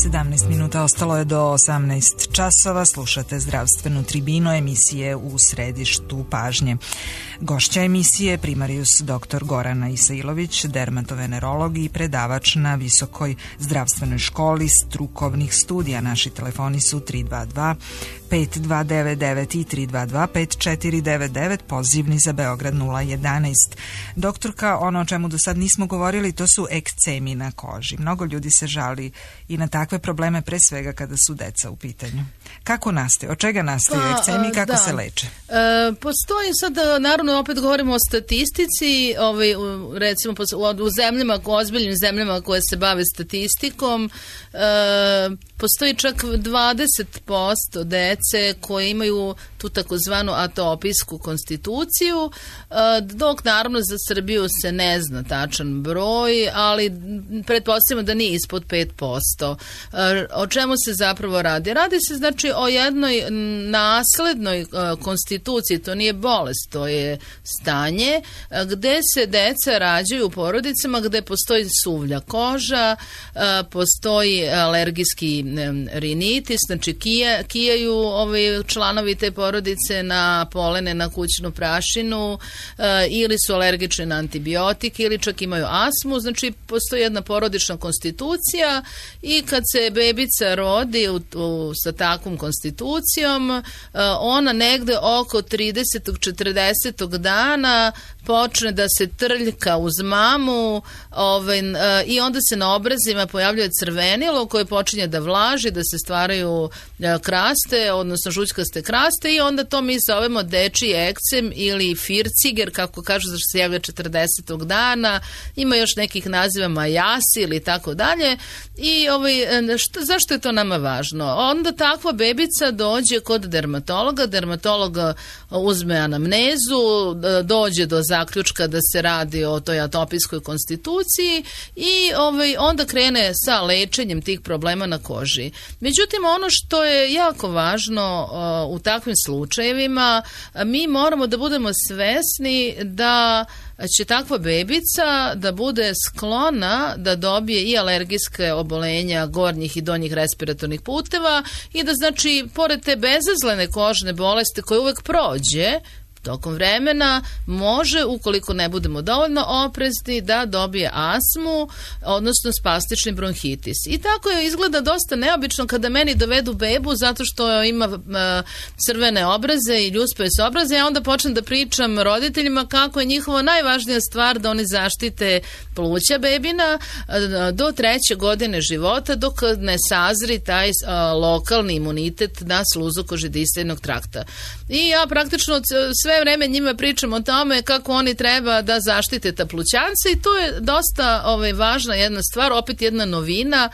sedamnaest minuta ostalo je do osamnaest časova. Slušate zdravstvenu tribinu emisije U središtu pažnje. Gošća emisije primarijus doktor Gorana Isailović, dermatovenerolog i predavač na Visokoj zdravstvenoj školi strukovnih studija. Naši telefoni su tri dva dva pet dva devet devet i tri dva dva pet četiri devet devet, pozivni za Beograd nula jedanaest. Doktorka, ono o čemu do sad nismo govorili, to su ekcemi na koži. Mnogo ljudi se žali i na takve probleme, pre svega kada su deca u pitanju. Kako nastaje? Od čega nastaju pa, ekcemi i kako da. se leče? E, postoji sad, naravno, opet govorimo o statistici, ovaj, recimo u zemljama, ozbiljnim zemljama koje se bave statistikom, e, postoji čak dvadeset posto dece koje imaju tu takozvanu atopijsku konstituciju, dok naravno za Srbiju se ne zna tačan broj, ali pretpostavljamo da nije ispod pet posto. O čemu se zapravo radi? Radi se znači o jednoj naslednoj konstituciji, to nije bolest, to je stanje gde se deca rađaju u porodicama gde postoji suvlja koža, postoji alergijski rinitis, znači kija, kijaju ovaj članovi te porodice, porodice na polene, na kućnu prašinu e, ili su alergični na antibiotike ili čak imaju astmu. Znači postoji jedna porodična konstitucija i kad se bebica rodi u, u, sa takvom konstitucijom, e, ona negde oko tridesetog četrdesetog dana počne da se trljka uz mamu ovaj, e, i onda se na obrazima pojavljuje crvenilo koje počinje da vlaži, da se stvaraju e, kraste, odnosno žućkaste kraste i onda to mi zovemo dečiji ekcem ili firciger, kako kažu, zašto se javlja četrdesetog dana, ima još nekih naziva majasi ili tako dalje. I ovaj, što, zašto je to nama važno? Onda takva bebica dođe kod dermatologa, dermatolog uzme anamnezu, dođe do zaključka da se radi o toj atopijskoj konstituciji i ovaj, onda krene sa lečenjem tih problema na koži. Međutim, ono što je jako važno uh, u takvim slučajevima, mi moramo da budemo svesni da će takva bebica da bude sklona da dobije i alergijske obolenja gornjih i donjih respiratornih puteva i da, znači, pored te bezazlene kožne bolesti koje uvek prođe tokom vremena, može, ukoliko ne budemo dovoljno oprezni, da dobije astmu, odnosno spastični bronhitis. I tako je izgleda dosta neobično kada meni dovedu bebu zato što ima uh, crvene obraze i ljuspave se obraze, ja onda počnem da pričam roditeljima kako je njihova najvažnija stvar da oni zaštite pluća bebina uh, do treće godine života, dok ne sazri taj uh, lokalni imunitet na sluzu kožedisajnog trakta. I ja praktično sve vreme njima pričam o tome kako oni treba da zaštite ta plućance i to je dosta ovaj, važna jedna stvar, opet jedna novina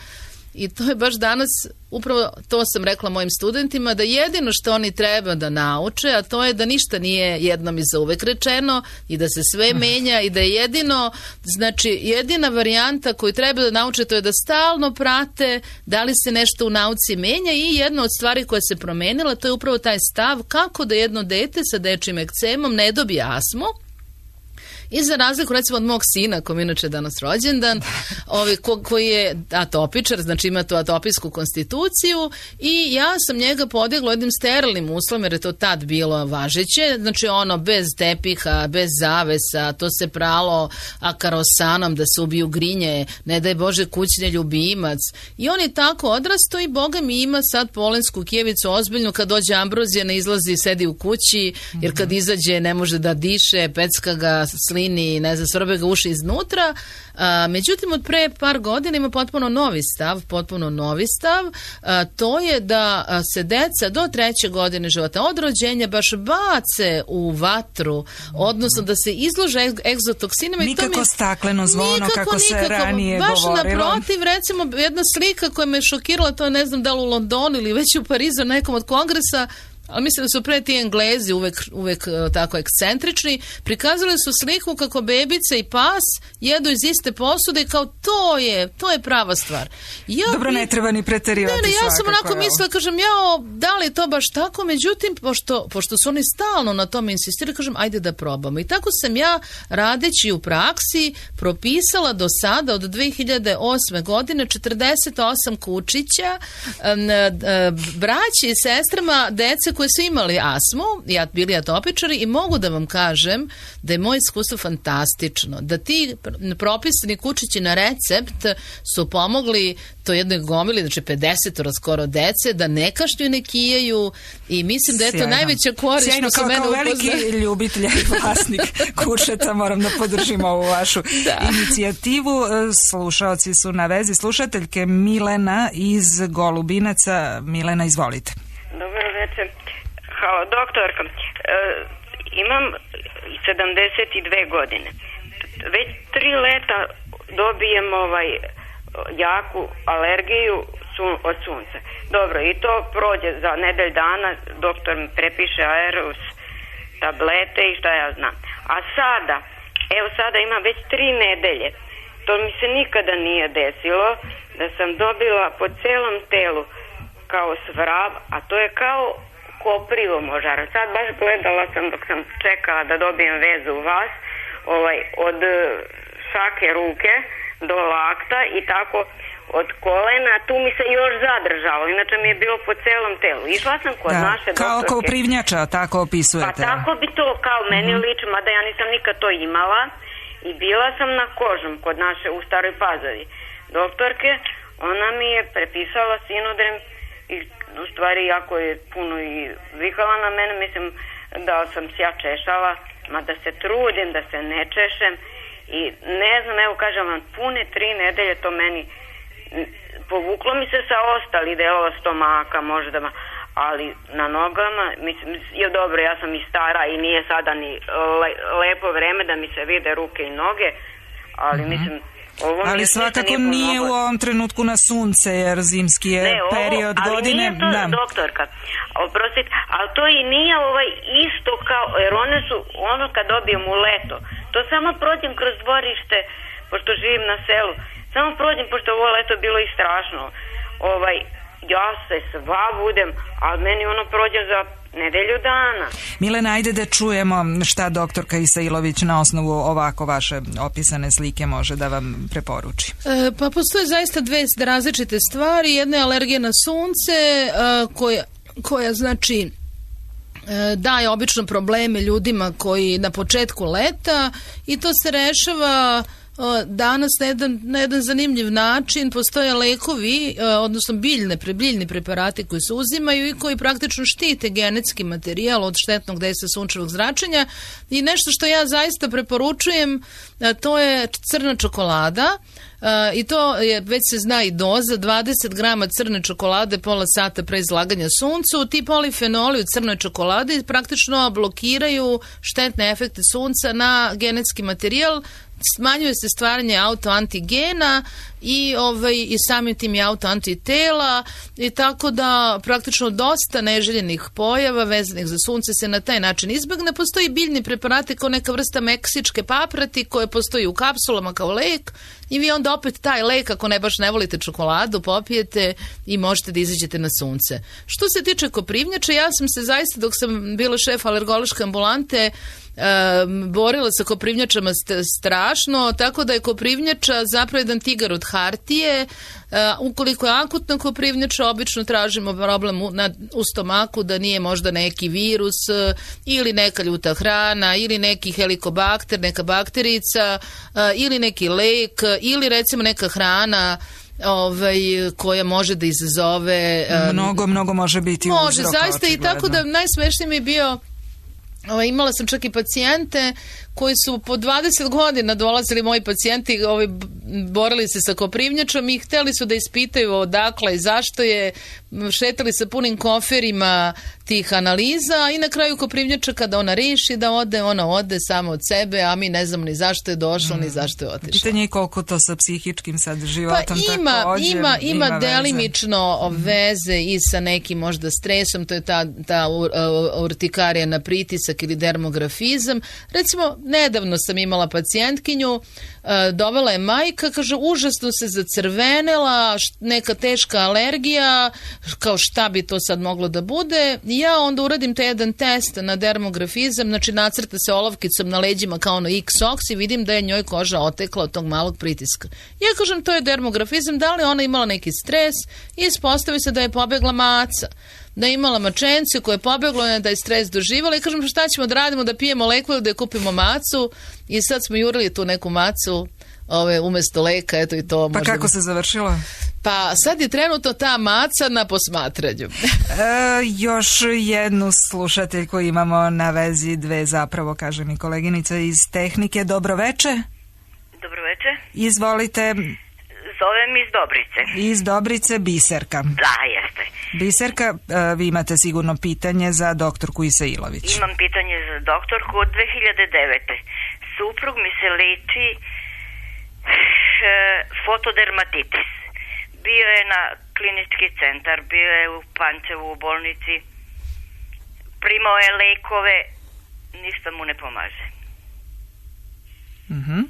i to je baš danas, upravo to sam rekla mojim studentima, da jedino što oni treba da nauče, a to je da ništa nije jednom i zauvek rečeno i da se sve menja i da je jedino, znači jedina varijanta koju treba da nauče to je da stalno prate da li se nešto u nauci menja i jedna od stvari koja se promenila to je upravo taj stav kako da jedno dete sa dečjim ekcemom ne dobije astmu. I za razliku recimo od mog sina, kom inače danas rođendan, ovaj, ko, koji je atopičar, znači ima tu atopijsku konstituciju i ja sam njega podigla jednim sterilnim uslovom, jer je to tad bilo važeće, znači ono bez tepiha, bez zavesa, to se pralo akarosanom da se ubiju grinje, ne daj Bože kućni ljubimac. I on je tako odrasto i Boga mi ima sad polensku kijevicu ozbiljnu, kad dođe ambrozija ne izlazi, sedi u kući, jer kad izađe ne može da diše, pecka ga, slini, ne znam, svrbe ga uši iznutra. A, međutim, od pre par godina ima potpuno novi stav, potpuno novi stav, a, to je da se deca do treće godine života od rođenja baš bace u vatru, odnosno da se izlože egzotoksinima. Nikako mi, stakleno zvono, nikako, kako se nikako, ranije baš govorilo. Baš naprotiv, recimo, jedna slika koja me šokirala, to je ne znam da li u Londonu ili već u Parizu nekom od kongresa, ali mislim da su pre ti Englezi uvek, uvek tako ekscentrični, prikazali su sliku kako bebica i pas jedu iz iste posude i kao to je, to je prava stvar. Ja, Dobro, ne treba ni preterivati. Ne, ne, ja svakako, sam onako mislila, kažem, ja, da li je to baš tako, međutim, pošto, pošto su oni stalno na tome insistirali, kažem, ajde da probamo. I tako sam ja, radeći u praksi, propisala do sada, od dve hiljade osme godine, četrdeset osam kučića, braći i sestrama, dece koje su imali astmu, ja bili atopičari i mogu da vam kažem da je moje iskustvo fantastično, da ti propisani kučići na recept su pomogli to jednoj gomili, znači pedeset skoro dece, da ne kašlju, ne kijaju i mislim da je to najveća korist. Sjajno, kao, kao veliki upozna... ljubitelj i vlasnik kučeta moram da podržim ovu vašu da. inicijativu. Slušaoci su na vezi, slušateljke Milena iz Golubinaca. Milena, izvolite. Dobar večer. Halo, doktorka. E, imam sedamdeset dve godine. Već tri leta dobijem ovaj jaku alergiju sun, od sunca. Dobro, i to prođe za nedelj dana, doktor mi prepiše Aerus tablete i šta ja znam. A sada, evo sada imam već tri nedelje. To mi se nikada nije desilo da sam dobila po celom telu kao svrab, a to je kao koprivo možara. Sad baš gledala sam dok sam čekala da dobijem vezu u vas, ovaj, od šake ruke do lakta i tako od kolena, tu mi se još zadržalo, inače mi je bilo po celom telu. Išla sam kod Da, naše kao doktorke. koprivnjača, tako Pa opisujete. tako bi to kao meni Mhm. liči, mada ja nisam nikad to imala i bila sam na kožom kod naše u Staroj Pazovi doktorke, ona mi je prepisala Sinodrem i u stvari jako je puno i vikala na mene, mislim da sam se ja češala, mada se trudim da se ne češem i ne znam, evo kažem vam, pune tri nedelje to meni povuklo mi se sa ostali delova stomaka možda, ali na nogama, mislim, je dobro, ja sam i stara i nije sada ni le, lepo vreme da mi se vide ruke i noge, ali mm-hmm. mislim, ovo mi Ali je svakako nije nije u ovom trenutku na sunce, jer zimski je ne, ovo, period ali godine. nije to, Da. doktorka, oprostite, ali to i nije ovaj isto kao, jer one su, ono kad dobijem u leto, to samo prođem kroz dvorište, pošto živim na selu, samo prođem, pošto ovo leto bilo i strašno, ovaj, ja se sva budem, ali meni ono prođe za nedelju dana. Milena, ajde da čujemo šta doktorka Isailović na osnovu ovako vaše opisane slike može da vam preporuči. E, pa postoje zaista dve različite stvari. Jedna je alergija na sunce, e, koja, koja znači e, daje obično probleme ljudima koji na početku leta i to se rešava danas na jedan, na jedan zanimljiv način. Postoje lekovi, odnosno biljne, biljni preparati koji se uzimaju i koji praktično štite genetski materijal od štetnog dejstva sunčevog zračenja i nešto što ja zaista preporučujem, to je crna čokolada. Uh, i to je, već se zna i doza, dvadeset grama crne čokolade pola sata pre izlaganja suncu. Ti polifenoli u crnoj čokoladi praktično blokiraju štetne efekte sunca na genetski materijal, smanjuje se stvaranje autoantigena i, ovaj, i samim tim i autoantitela i tako da praktično dosta neželjenih pojava vezanih za sunce se na taj način izbegne. Postoji biljni preparati kao neka vrsta meksičke paprati koje postoji u kapsulama kao lek i vi onda opet taj lek, ako ne baš ne volite čokoladu, popijete i možete da izađete na sunce. Što se tiče koprivnjača, ja sam se zaista dok sam bila šef alergološke ambulante Um, borila sa koprivnjačama st- strašno, tako da je koprivnjača zapravo jedan tigar od hartije. Uh, ukoliko je akutna koprivnjača, obično tražimo problem u, na, u stomaku da nije možda neki virus uh, ili neka ljuta hrana ili neki helikobakter, neka bakterica uh, ili neki lek uh, ili recimo neka hrana ovaj, koja može da izazove um, mnogo, mnogo može biti može, uzroka, zaista očigledno. I tako da najsmešniji mi je bio, Ovaj, imala sam čak i pacijente koji su po dvadeset godina dolazili, moji pacijenti, ovaj, borili se sa koprivnjačom i hteli su da ispitaju odakle i zašto je, šetali sa punim koferima tih analiza i na kraju koprivnjača kada ona reši da ode, ona ode samo od sebe, a mi ne znamo ni zašto je došla, mm. ni zašto je otišla. Pitanje je koliko to sa psihičkim sad životom pa ima, također ima, ima, ima veze. delimično veze i sa nekim možda stresom, to je ta, ta urtikarija na pritisak ili dermografizam. Recimo, nedavno sam imala pacijentkinju, dovela je majka, kaže, užasno se zacrvenela, neka teška alergija, kao šta bi to sad moglo da bude. Ja onda uradim taj jedan test na dermografizam, znači nacrta se olovkicom na leđima kao ono X-oks i vidim da je njoj koža otekla od tog malog pritiska. Ja kažem, to je dermografizam, da li ona imala neki stres i ispostavi se da je pobegla maca, da je imala mačenciju koja je pobegla, da je stres doživala i kažem, šta ćemo da radimo, da pijemo leku ili da je kupimo macu i sad smo jurili tu neku macu ove, umjesto leka, eto i to. Pa možda... kako se završilo? Pa sad je trenutno ta maca na posmatranju. e, još jednu slušateljku imamo na vezi, dve zapravo, kaže mi koleginica iz tehnike. Dobro veče. Dobro veče. Izvolite. Zovem iz Dobrice. Iz Dobrice, Biserka. Da, jeste. Biserka, vi imate sigurno pitanje za doktorku Isailović. Imam pitanje za doktorku. Od dve hiljade devete suprug mi se leči e, fotodermatitis. Bio je na klinički centar, bio je u Pančevu u bolnici, primao je lekove, ništa mu ne pomaže. Uh-huh.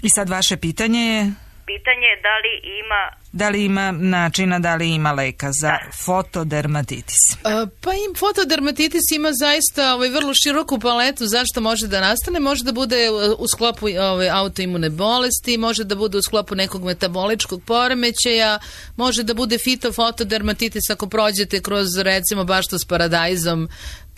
I sad vaše pitanje je? Pitanje je da li ima Da li ima načina, da li ima leka za fotodermatitis? A, pa im fotodermatitis ima zaista ovaj, vrlo široku paletu zašto može da nastane. Može da bude u sklopu ovaj, autoimune bolesti, može da bude u sklopu nekog metaboličkog poremećaja, može da bude fitofotodermatitis ako prođete kroz recimo baštu s paradajzom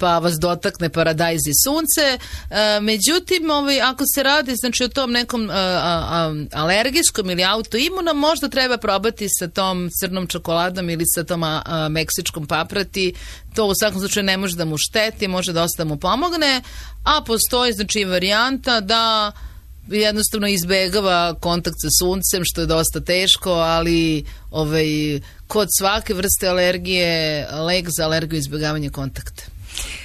pa vas dotakne paradajz i sunce. E, međutim, ovaj, ako se radi znači, o tom nekom a, a, alergijskom ili autoimunom, možda treba probati sa tom crnom čokoladom ili sa tom a, a, meksičkom paprati. To u svakom slučaju ne može da mu šteti, može dosta mu pomogne, a postoji znači varijanta da jednostavno izbegava kontakt sa suncem, što je dosta teško, ali ovaj, kod svake vrste alergije lek za alergiju izbjegavanje kontakta.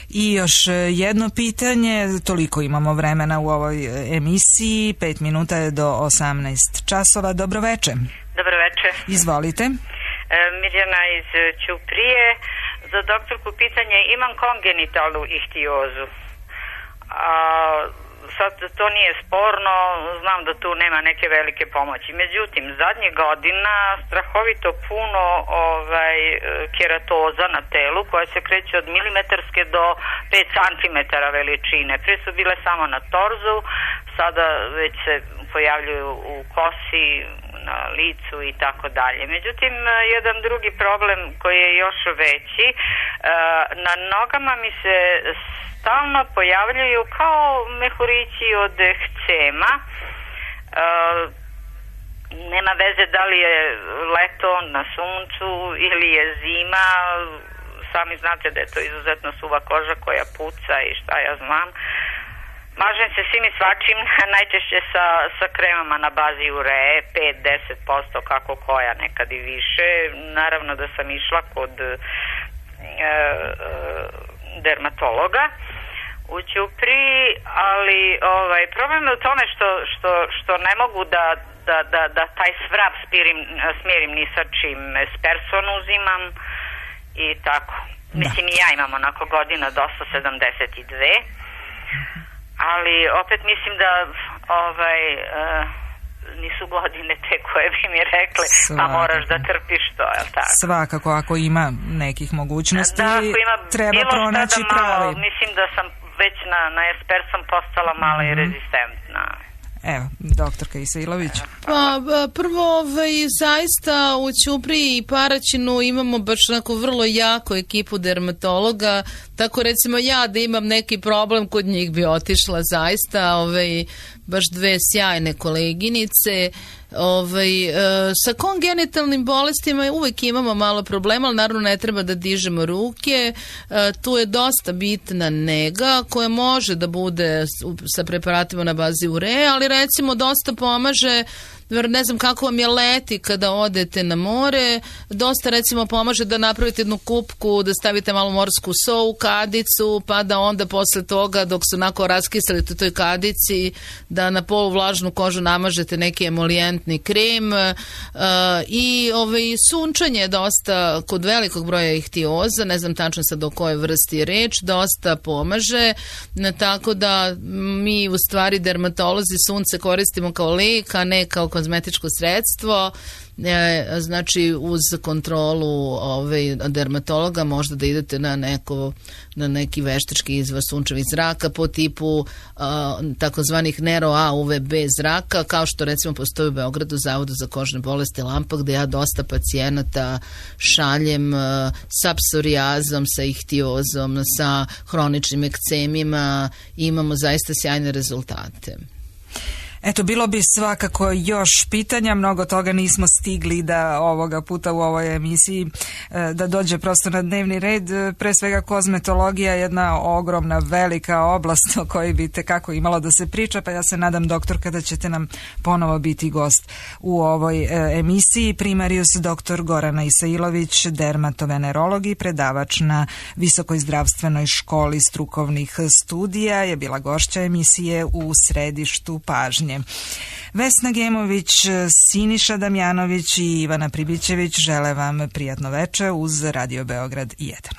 I još jedno pitanje, toliko imamo vremena u ovoj emisiji, pet minuta je do osamnaest časova. Dobro večer. Dobro večer. Izvolite. E, Mirjana iz Ćuprije. Za doktorku pitanje, imam kongenitalnu ihtiozu. A, sad to nije sporno, znam da tu nema neke velike pomoći. Međutim, zadnjih godina strahovito puno ovaj, keratoza na telu koja se kreće od milimetarske do pet centimetara veličine. Prije su bile samo na torzu, sada već se pojavljuju u kosi, na licu i tako dalje. Međutim, jedan drugi problem koji je još veći, na nogama mi se stalno pojavljuju kao mehurići od ekcema. Nema veze da li je leto na suncu ili je zima. Sami znate da je to izuzetno suva koža koja puca i šta ja znam. Mažem se svim i svačim, najčešće sa, sa kremama na bazi ureje, pet do deset posto kako koja, nekad i više. Naravno da sam išla kod e, e, dermatologa u Ćupriji, ali ovaj, problem je u tome što, što, što ne mogu da, da, da, da taj svrab smirim, smirim ni sa čim. Esperson uzimam i tako. Da. Mislim i ja imam onako godina dosta sedamdeset dve. Ali opet mislim da ovaj, uh, nisu godine te koje bi mi rekli, pa moraš da trpiš to, je li tako? Svakako, ako ima nekih mogućnosti, da, ako ima treba pronaći da malo, pravi. Mislim da sam već na, na Espersom postala malo mm-hmm. i rezistentna. Evo, doktorka Isailović. Pa, prvo, ovaj, zaista u Ćupriji i Paraćinu imamo baš onako vrlo jako ekipu dermatologa, tako recimo ja da imam neki problem, kod njih bi otišla zaista, ovaj, baš dve sjajne koleginice. Ovaj, e, sa kongenitalnim bolestima uvek imamo malo problema, ali naravno ne treba da dižemo ruke. E, tu je dosta bitna nega koja može da bude sa preparatima na bazi ureje, ali recimo dosta pomaže, ne znam kako vam je leti kada odete na more, dosta recimo pomaže da napravite jednu kupku, da stavite malo morsku so u kadicu, pa da onda posle toga dok se onako raskiselite u toj kadici, da na poluvlažnu kožu namažete neki emolijentni krem uh, i ovaj, sunčanje je dosta kod velikog broja ihtioza, ne znam tačno sad o kojoj vrsti je reč, dosta pomaže, tako da mi u stvari dermatolozi sunce koristimo kao lek, a ne kao kozmetičko sredstvo. E, znači uz kontrolu ovaj, dermatologa možda da idete na, neko, na neki veštački izvor sunčevih zraka po tipu a, takozvanih Nero A U V B zraka, kao što recimo postoji u Beogradu Zavodu za kožne bolesti Lampa, gde ja dosta pacijenata šaljem a, sa psorijazom, sa ihtiozom, sa hroničnim ekcemima, imamo zaista sjajne rezultate. Eto, bilo bi svakako još pitanja, mnogo toga nismo stigli da ovoga puta u ovoj emisiji da dođe prosto na dnevni red. Pre svega kozmetologija je jedna ogromna, velika oblast o kojoj bi tekako imalo da se priča, pa ja se nadam, doktorka, da ćete nam ponovo biti gost u ovoj emisiji. Primarius doktor Gorana Isailović, dermatovenerolog i predavač na Visokoj zdravstvenoj školi strukovnih studija, je bila gošća emisije U središtu pažnje. Vesna Gemović, Siniša Damjanović i Ivana Pribićević žele vam prijatno veče uz Radio Beograd jedan.